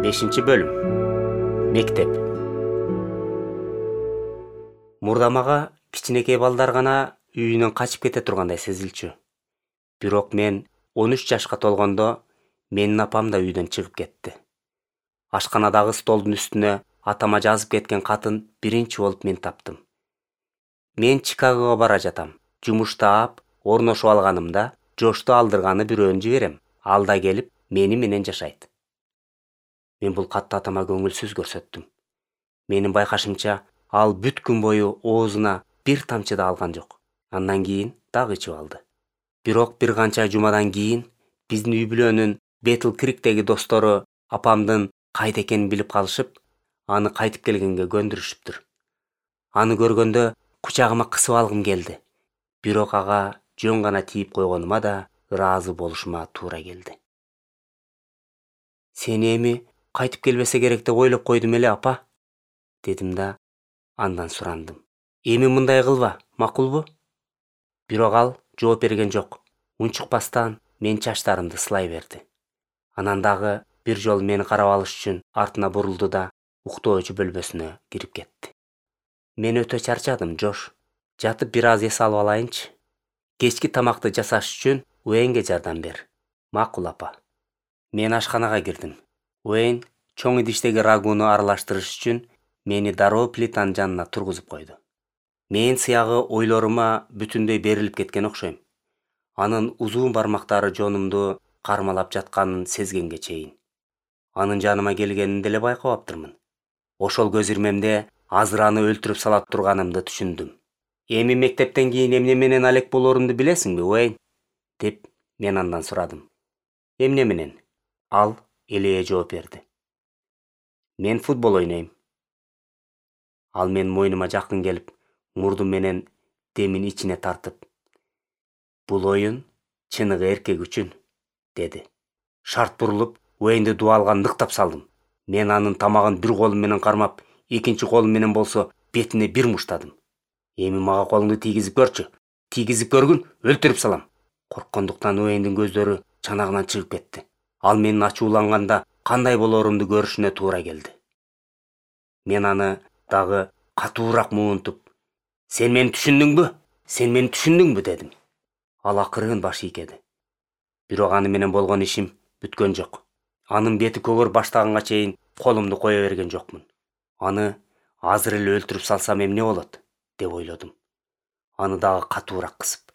5-бөлүм. Мектеп. Мурда мага кичинекей балдар гана үйүнөн качып кете тургандай сезилчү. Бирок мен 13 жашка толгондо менин апам да үйдөн чыгып кетти. Ашканадагы столдун үстүнө атама жазып кеткен катын биринчи болуп мен таптым. Мен Чикагого бара жатам. Жумуш таап, орношуп алганымда Жошту алдырганы бирөөнү жиберем. Ал да келип мени менен жашайт. Мен бул катты атама көңүлсүз көрсөттүм. Менин байкашымча, ал бүт күн бою оозуна бир тамчы да алган жок. Андан кийин дагы ичип алды. Бирок бир канча жумадан кийин биздин үй-бүлөнүн Бетл Криктеги достору апамдын кайда экенин билип калышып, аны кайтып келгенге көндүрүшүптүр. Аны көргөндө кучагыма кысып алгым келди. Бирок ага жөн гана тийип койгонума да ыраазы болушума туура келди. Сени эми кайтып келбесе керек деп ойлоп койдум эле, апа, дедим да андан сурандым. Эми мындай кылба, макулбу? Бирок ал жооп берген жок. Унчукпастан мен чачтарымды сылай берди. Анан дагы бир жолу мени карап алыш үчүн артына бурулду да уктоочу бөлмөсүнө кирип кетти. Мен өтө чарчадым, Жош. Жатып бир аз эс алып алайынчы. Кечки тамакты жасаш үчүн Уэйнге жардам бер. Макул, апа. Мен ашканага кирдим. Уэйн чоң идиштеги рагуну аралаштырыш үчүн мени дароо плитанын жанына тургузуп койду. Мен сыягы ойлорума бүтүндөй берилип кеткен окшойм. Анын узун бармактары жонумду кармалап жатканын сезгенге чейин. Анын жаныма келгенин деле байкабаптырмын. Ошол көз ирмемде азыр аны өлтүрүп сала турганымды түшүндүм. Эми мектептен кийин эмне менен алек болорумду билесиңби, Уэйн? Деп мен андан сурадым. Эмне менен? Ал элее жооп берди. Мен футбол ойнойм. Ал менин мойнума жакын келип, мурдум менен демин ичине тартып, бул оюн чыныгы эркек үчүн, деди. Шарт бурулуп, Уэйнди дубалга ныктап салдым. Мен анын тамагын бир колум менен кармап, экинчи колум менен болсо бетине бир муштадым. Эми мага колуңду тийгизип көрчү. Тийгизип көргүн, өлтүрүп салам. Корккондуктан Уэйндин көздөрү чанагынан чыгып кетти. Ал менин ачууланганда кандай болорумду көрүшүнө туура келди. Мен аны дагы катуураак муунтуп, "Сен мени түшүндүңбү? Сен мени түшүндүңбү?" дедим. Ал акырын баш ийкеди. Бирок аны менен болгон ишим бүткөн жок. Анын бети көгөрүп баштаганга чейин колумду кое берген жокмун. Аны азыр эле өлтүрүп салсам эмне болот, деп ойлодум. Аны дагы катуураак кысып.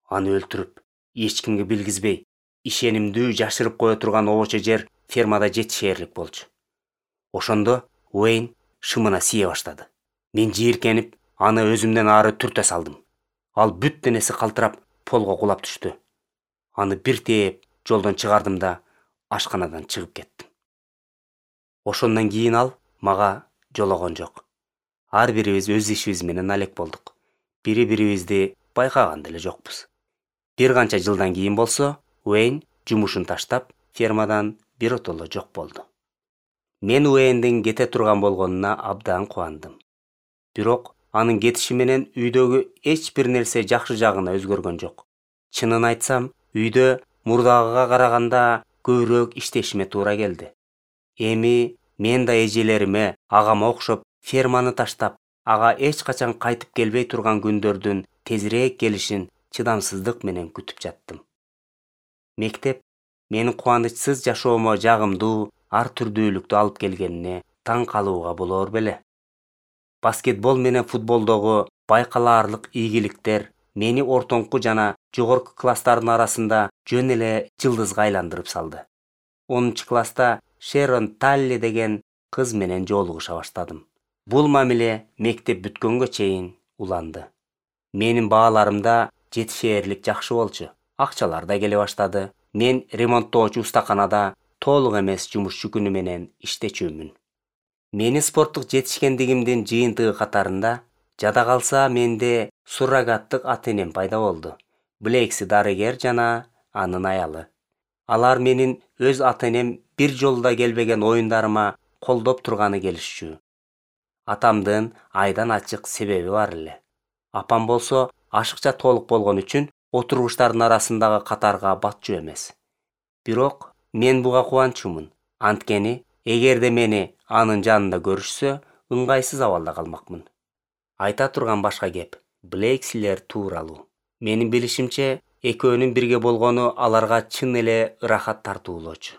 Аны өлтүрүп, эч кимге билгизбей, ишенимдүү жашырып кое турган обочо жер фермада жетишээрлик болчу. Ошондо Уэйн шымына сие баштады. Мен жийиркенип, аны өзүмдөн ары түртө салдым. Ал бүт денеси калтырап, полго кулап түштү. Аны бир тээп жолдон чыгардым да ашканадан чыгып кеттим. Ошондон кийин ал мага жологон жок. Ар бирибиз өз ишибиз менен алек болдук. Бири-бирибизди байкаган деле жокпуз. Бир канча жылдан кийин болсо, Уэйн жумушун таштап, фермадан биротоло жок болду. Мен Уэйндин кете турган болгонуна абдан кубандым. Бирок анын кетиши менен үйдөгү эч бир нерсе жакшы жагына өзгөргөн жок. Чынын айтсам, үйдө мурдагыга караганда көбүрөөк иштешиме туура келди. Эми мен да эжелериме, агама окшоп, ферманы таштап, ага эч качан кайтып келбей турган күндөрдүн тезирээк келишин чыдамсыздык менен күтүп жаттым. Мектеп менин кубанычсыз жашоомо жагымдуу, ар түрдүүлүктү алып келгенине таң калууга болор беле. Баскетбол менен футболдогу байкалаарлык ийгиликтер мени ортоңку жана жогорку класстардын арасында жөн эле жылдызга айландырып салды. 10-класста Шерон Талли деген кыз менен жолугуша баштадым. Бул мамиле мектеп бүткөнгө чейин уланды. Менин бааларым да жетишээрлик жакшы болчу. Акчалар да келе баштады. Мен ремонттоочу устаканада толук эмес жумушчу күнү менен иштечүмүн. Менин спорттук жетишкендигимдин жыйынтыгы катарында жада калса менде суррогаттык ата-энем пайда болду. Блейкси дарыгер жана анын аялы. Алар менин өз ата-энем бир жолу да келбеген оюндарыма колдоп турганы келишчү. Атамдын айдан ачык себеби бар эле. Апам болсо ашыкча толук болгон үчүн отургучтардын арасындагы катарга батчу эмес. Бирок мен буга кубанчумун. Анткени эгерде мени анын жанында көрүшсө, ыңгайсыз абалда калмакмын. Айта турган башка кеп Блейкслер тууралуу. Менин билишимче, экөөнүн бирге болгону аларга чын эле ырахат тартуулоочу.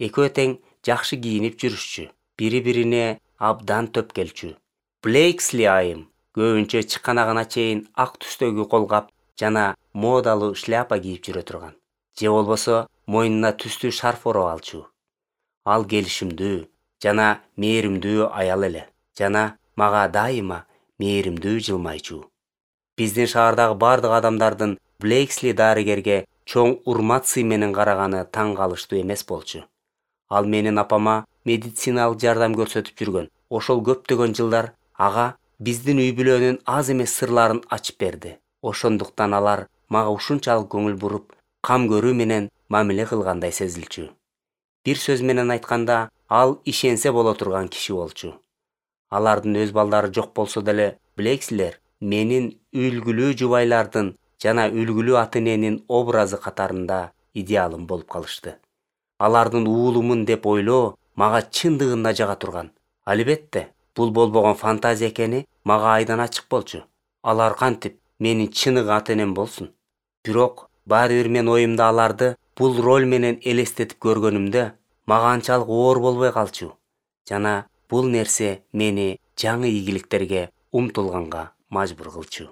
Экөө тең жакшы кийинип жүрүшчү, бири-бирине абдан төп келчү. Блейксли айым көбүнчө чыканагына чейин ак түстөгү колгап жана модалуу шляпа кийип жүрө турган. Же болбосо мойнуна түстүү шарф ороп алчу. Ал келишимдүү жана мээримдүү аял эле. Жана мага дайыма мээримдүү жылмайчу. Биздин шаардагы бардык адамдардын Блейксли дарыгерге чоң урмат-сый менен караганы таң калыштуу эмес болчу. Ал менин апама медициналык жардам көрсөтүп жүргөн. Ошол көптөгөн жылдар ага биздин үй-бүлөнүн аз эмес сырларын ачып берди. Ошондуктан алар мага ушунчалык көңүл буруп, кам көрүү менен мамиле кылгандай сезилчү. Бир сөз менен айтканда, ал ишенсе боло турган киши болчу. Алардын өз балдары жок болсо деле, Блейкслер менин үлгүлүү жубайлардын жана үлгүлүү ата-эненин образы катарында идеалым болуп калышты. Алардын уулумун деп ойлоо мага чындыгында жага турган. Албетте, бул болбогон фантазия экени мага айдан ачык болчу. Алар кантип менин чыныгы ата-энем болсун. Бирок баары бир мен оюмда аларды бул роль менен элестетип көргөнүмдө мага анчалык оор болбой калчу. Жана бул нерсе мени жаңы ийгиликтерге умтулганга мажбур кылчу.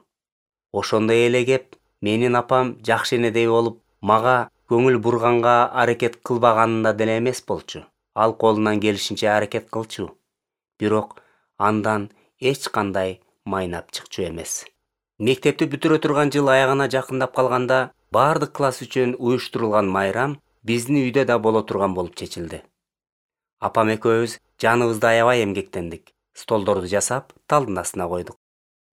Ошондой эле кеп менин апам жакшы энедей болуп, мага көңүл бурганга аракет кылбаганында деле эмес болчу. Ал колунан келишинче аракет кылчу. Бирок андан эч кандай майнап чыкчу эмес. Мектепти бүтүрө турган жыл аягына жакындап калганда, бардык класс үчүн уюштурулган майрам биздин үйдө да боло турган болуп чечилди. Апам экөөбүз жаныбызды аябай эмгектендик. Столдорду жасап, талдын астына койдук.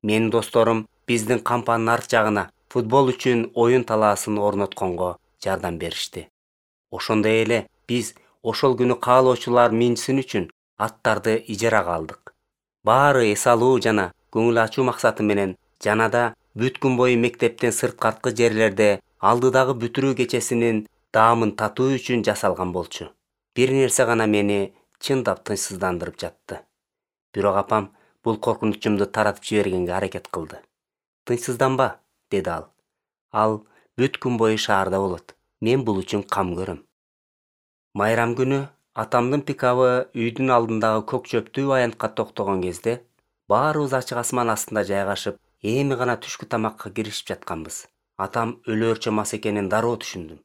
Менин досторум биздин кампанын арт жагына футбол үчүн оюн талаасын орнотконго жардам беришти. Ошондой эле биз ошол күнү каалоочулар минсин үчүн аттарды ижарага алдык. Баары эс алуу жана көңүл ачуу максаты менен жанада бүт күн бою мектептен сырткаркы жерлерде алдыдагы бүтүрүү кечесинин даамын татуу үчүн жасалган болчу. Бир нерсе гана мени чындап тынчсыздандырып жатты. Бирок апам бул коркунучумду таратып жибергенге аракет кылды. Тынчсызданба, деди ал. Ал бүт күн бою шаарда болот. Мен бул үчүн кам көрөм. Майрам күнү атамдын пикабы үйдүн алдындагы көк чөптүү аянтка токтогон кезде, баарыбыз ачык асман астында жайгашып, эми гана түшкү тамакка киришип жатканбыз. Атам өлөөрчө мас экенин дароо түшүндүм.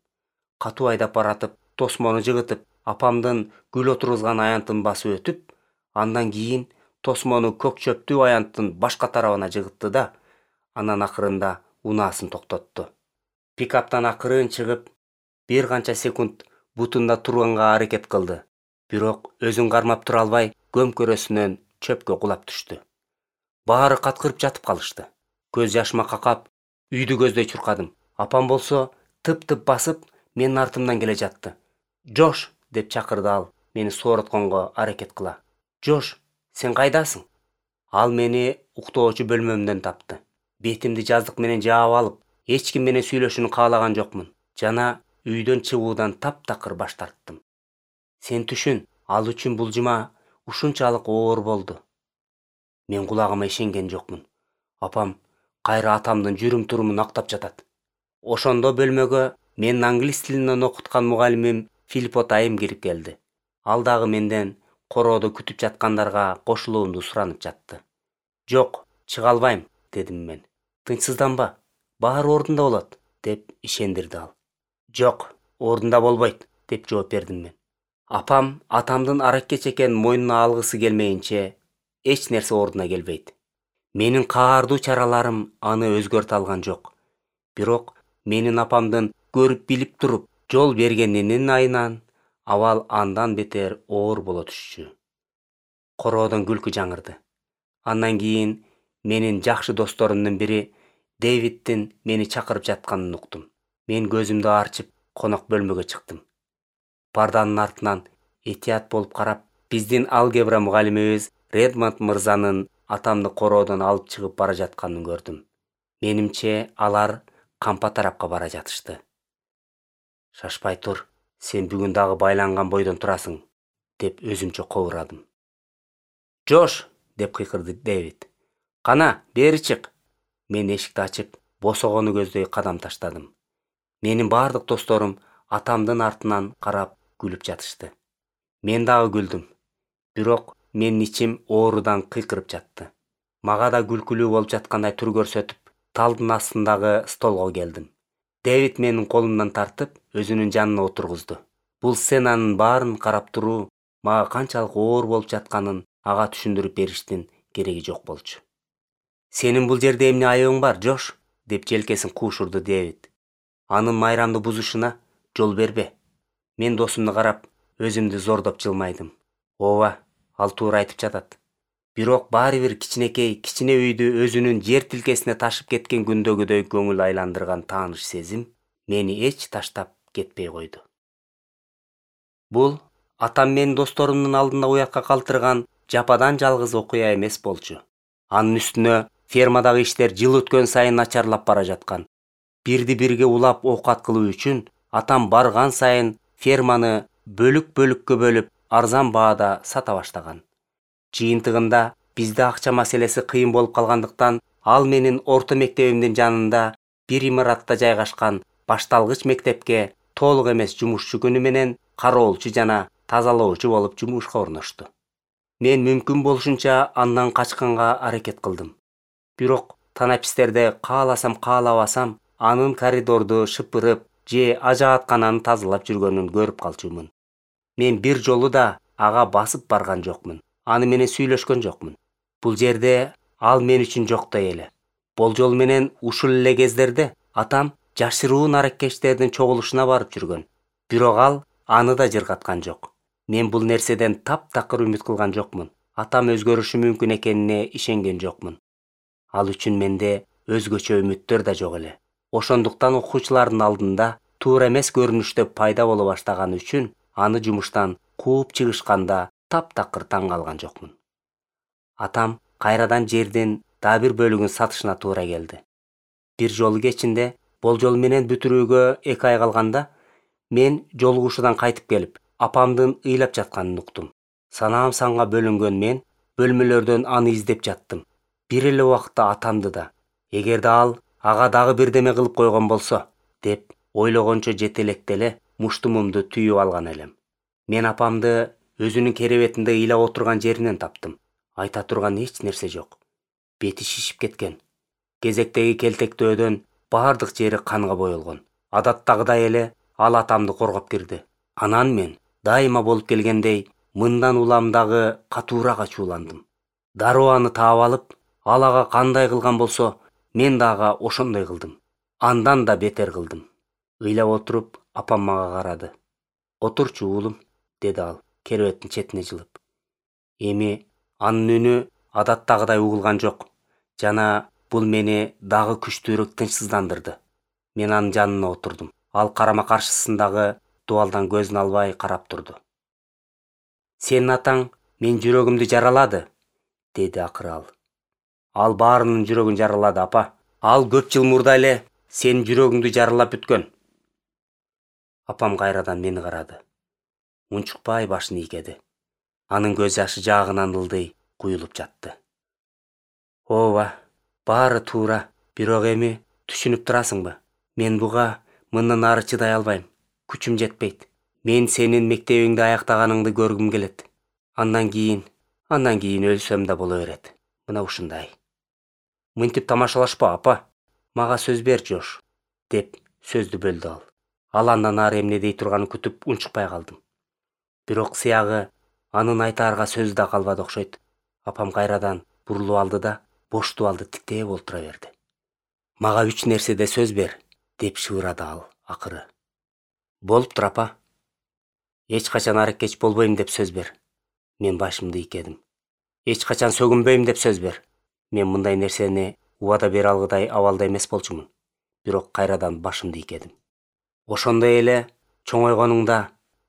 Катуу айдап баратып, тосмону жыгытып, апамдын гүл отургузган аянтын басып өтүп, андан кийин тосмону көк чөптүү аянттын башка тарабына жыгытты да, анан акырында унаасын токтотту. Пикаптан акырын чыгып, бир канча секунд бутунда турганга аракет кылды. Бирок өзүн кармап тура албай, көмкөрөсүнөн чөпкө кулап түштү. Баары каткырып жатып калышты. Көз жашыма какап, үйдү көздөй чуркадым. Апам болсо тып-тып басып, менин артымдан келе жатты. "Жош!" деп чакырды ал, мени сооротконго аракет кыла. "Жош, сен кайдасың?" Ал мени уктоочу бөлмөмдөн тапты. Бетимди жаздык менен жаап алып, эч ким менен сүйлөшүүнү каалаган жокмун. Жана үйдөн чыгуудан таптакыр баш тарттым. Сен түшүн, ал үчүн бул жума ушунчалык оор болду. Мен кулагыма ишенген жокмун. Апам кайра атамдын жүрүм-турумун актап жатат. Ошондо бөлмөгө менин англис тилинен окуткан мугалимим Филиппот айым кирип келди. Ал дагы менден короодо күтүп жаткандарга кошулуумду суранып жатты. "Жок, чыга албайм", дедим мен. "Тынчсызданба, баары ордунда болот", деп ишендирди ал. "Жок, ордунда болбойт", деп жооп бердим мен. Апам атамдын араккеч экенин мойнуна алгысы келмейинче эч нерсе ордуна келбейт. Менин каардуу чараларым аны өзгөртө алган жок. Бирок менин апамдын көрүп билип туруп жол бергенинин айынан абал андан бетер оор боло түшчү. Короодон күлкү жаңырды. Андан кийин менин жакшы досторумдун бири Дэвидтин мени чакырып жатканын уктум. Мен көзүмдү арчып, конок бөлмөгө чыктым. Парданын артынан этият болуп карап, биздин алгебра мугалимибиз Редмонд мырзанын атамды короодон алып чыгып бара жатканын көрдүм. Менимче, алар кампа тарапка бара жатышты. "Шашпай тур, сен бүгүн дагы байланган бойдон турасың", деп өзүмчө кобурадым. «Жош!» деп кыйкырды Дэвид. «Кана, бери чык!» Мен эшикти ачып, босогону көздөй кадам таштадым. Менин бардык досторум атамдын артынан карап күлүп жатышты. Мен дагы күлдүм. Бирок менин ичим оорудан кыйкырып жатты. Мага да күлкүлүү болуп жаткандай тур көрсөтүп, талдын астындагы столго келдим. Дэвид менин колумдан тартып, өзүнүн жанына отургузду. Бул сценанын баарын карап туруу мага канчалык оор болуп жатканын ага түшүндүрүп бериштин кереги жок болчу. «Сенин бул жерде эмне айыбың бар, Жош?» деп желкесин куушурду Дэвид. «Анын майрамды бузушуна жол бербе». Мен досумду карап, өзүмдү зордоп жылмайдым. Ооба, ал туура айтып жатат. Бирок баары бир кичине үйдү өзүнүн жер тилкесине ташып кеткен күндөгүдөй көңүл айландырган тааныш сезим мени эч таштап кетпей койду. Бул атам менин досторумдун алдында уятка калтырган жападан жалгыз окуя эмес болчу. Анын үстүнө фермадагы иштер жыл өткөн сайын начарлап бара жаткан. Бирди-бирге улап оокат кылуу үчүн атам барган сайын ферманы бөлүккө бөлүп арзан баада сата баштаган. Жыйынтыгында бизде акча маселеси кыйын болуп калгандыктан ал менин орто мектебимдин жанында бир имаратта жайгашкан башталгыч мектепке толук эмес жумушчу күнү менен кароолчу жана тазалоочу болуп жумушка орношту. Мен мүмкүн болушунча андан качканга аракет кылдым. Бирок танапистерде кааласам каалабасам анын коридорду шыпырып же ажааткананы тазалап жүргөнүн көрүп калчумун. Мен бир жолу да ага басып барган жокмун. Аны менен сүйлөшкөн жокмун. Бул жерде ал мен үчүн жоктой эле. Болжол менен ушул эле кездерде атам жашыруу наракештердин чогулушуна барып жүргөн. Бирок ал аны да жыргаткан жок. Мен бул нерседен таптакыр үмүт кылган жокмун. Атам өзгөрүшү мүмкүн экенине ишенген жокмун. Ал үчүн менде өзгөчө үмүттөр да жок эле. Ошондуктан окуучулардын алдында туура эмес көрүнүштө пайда боло баштаганы үчүн аны жумуштан кууп чыгышканда таптакыр таң калган жокмун. Атам кайрадан жердин дагы бир бөлүгүн сатышына туура келди. Бир жолу кечинде болжол менен бүтүрүүгө 2 ай калганда мен жолугушуудан кайтып келип, апамдын ыйлап жатканын уктум. Санаам санга бөлүнгөн мен бөлмөлөрдөн аны издеп жаттым. Бир эле убакытта атамды да, эгерде ал ага дагы бирдеме кылып койгон болсо, деп ойлогончо жетелектеле муштумумду түйүп алган элем. Мен апамды өзүнүн керебетинде ыйлап отурган жеринен таптым. Айта турган эч нерсе жок. Бети шишип кеткен. Кезектеги келтектөөдөн бардык жери канга боелгон. Адаттагыдай эле ал атамды коргоп кирди. Анан мен дайыма болуп келгендей мындан улам дагы катуураак ачууландым. Дароо аны таап алып, ал ага кандай кылган болсо, мен дагы ошондой кылдым. Андан да бетер кылдым. Ыйлап отуруп, апам мага карады. «Отурчу уулум», деди ал, керебеттин четине жылып. Эми анын үнү адаттагыдай угулган жок жана бул мени дагы күчтүүрөөк тынчсыздандырды. Мен анын жанына отурдум. Ал карама каршысындагы дубалдан көзүн албай карап турду. «Сенин атаң мен жүрөгүмдү жаралады», деди акыры ал. «Ал баарынын жүрөгүн жаралады, апа. Ал көп жыл мурда эле сенин жүрөгүңдү жаралап бүткөн». Апам кайрадан мени карады. Унчукпай башын ийкеди. Анын көз жашы жаагынан ылдый куюлуп жатты. «Ооба, баары туура. Бирок эми түшүнүп турасыңбы? Мен буга мындан ары чыдай албайм. Күчүм жетпейт. Мен сенин мектебиңди аяктаганыңды көргүм келет. Андан кийин өлсөм да боло берет. Мына ушундай». «Мынтип тамашалашпа, апа. Мага сөз бер, Жош», деп сөздү бөлдү ал. Ал андан ары эмне дей турганын күтүп унчукпай калдым. Бирок сыягы анын айтаарга сөзү да калбады окшойт. Апам кайрадан бурулуп алды да бош дубалды тиктеп олтура берди. «Мага 3 нерседе сөз бер», деп шыбырады ал акыры. «Болуптур, апа. Эч качан аракеч болбойм деп сөз бер». Мен башымды ийкедим. «Эч качан сөгүнбөйм деп сөз бер». Мен мындай нерсени убада бере алгыдай абалда эмес болчумун. Бирок кайрадан башымды ийкедим. «Ошондой эле чоңойгонуңда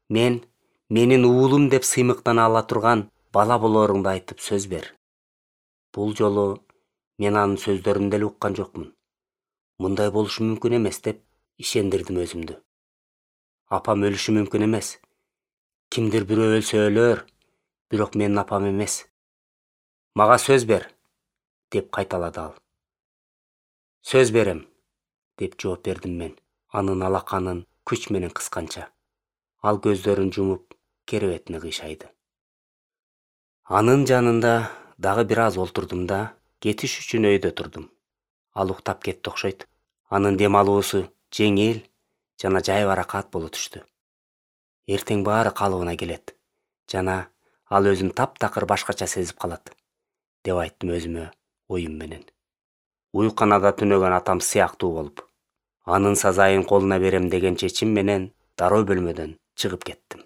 менин уулум деп сыймыктана ала турган бала болооруңду айтып сөз бер». Бул жолу мен анын сөздөрүн деле уккан жокмун. Мындай болушу мүмкүн эмес деп ишендирдим өзүмдү. Апам өлүшү мүмкүн эмес. Кимдир бирөө өлсө өлөр, бирок менин апам эмес. Мага сөз бер, деп кайталады ал. Сөз берем, деп жооп бердим мен, анын алаканын күч менен кысканча. Ал көздөрүн жумуп, керебетине кыйшайды. Анын жанында дагы бир аз олтурдум да, кетиш үчүн өйдө турдум. Ал уктап кетти окшойт. Анын дем алуусу жеңил жана жайбаракат боло түштү. Эртең баары калыбына келет жана ал өзүн таптакыр башкача сезип калат, деп айттым өзүмө оюм менен. Уйканада түнөгөн атам сыяктуу болуп, анын сазайын колуна берем деген чечим менен дароо бөлмөдөн чыгып кеттим.